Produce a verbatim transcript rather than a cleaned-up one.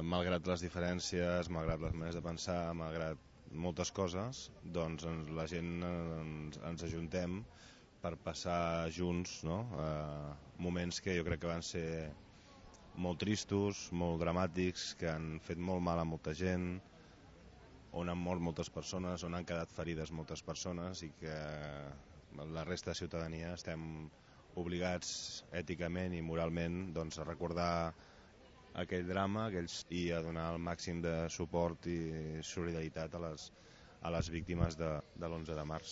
malgrat les diferències, malgrat les maneres de pensar, malgrat moltes coses, doncs la gent ens, ens ajuntem per passar junts, no? eh, moments que jo crec que van ser molt tristos, molt dramàtics, que han fet molt mal a molta gent, on han mort moltes persones, on han quedat ferides moltes persones, i que la resta de ciutadania estem obligats èticament i moralment doncs, a recordar aquell drama aquells, i a donar el màxim de suport i solidaritat a les, a les víctimes de, de l'onze de març.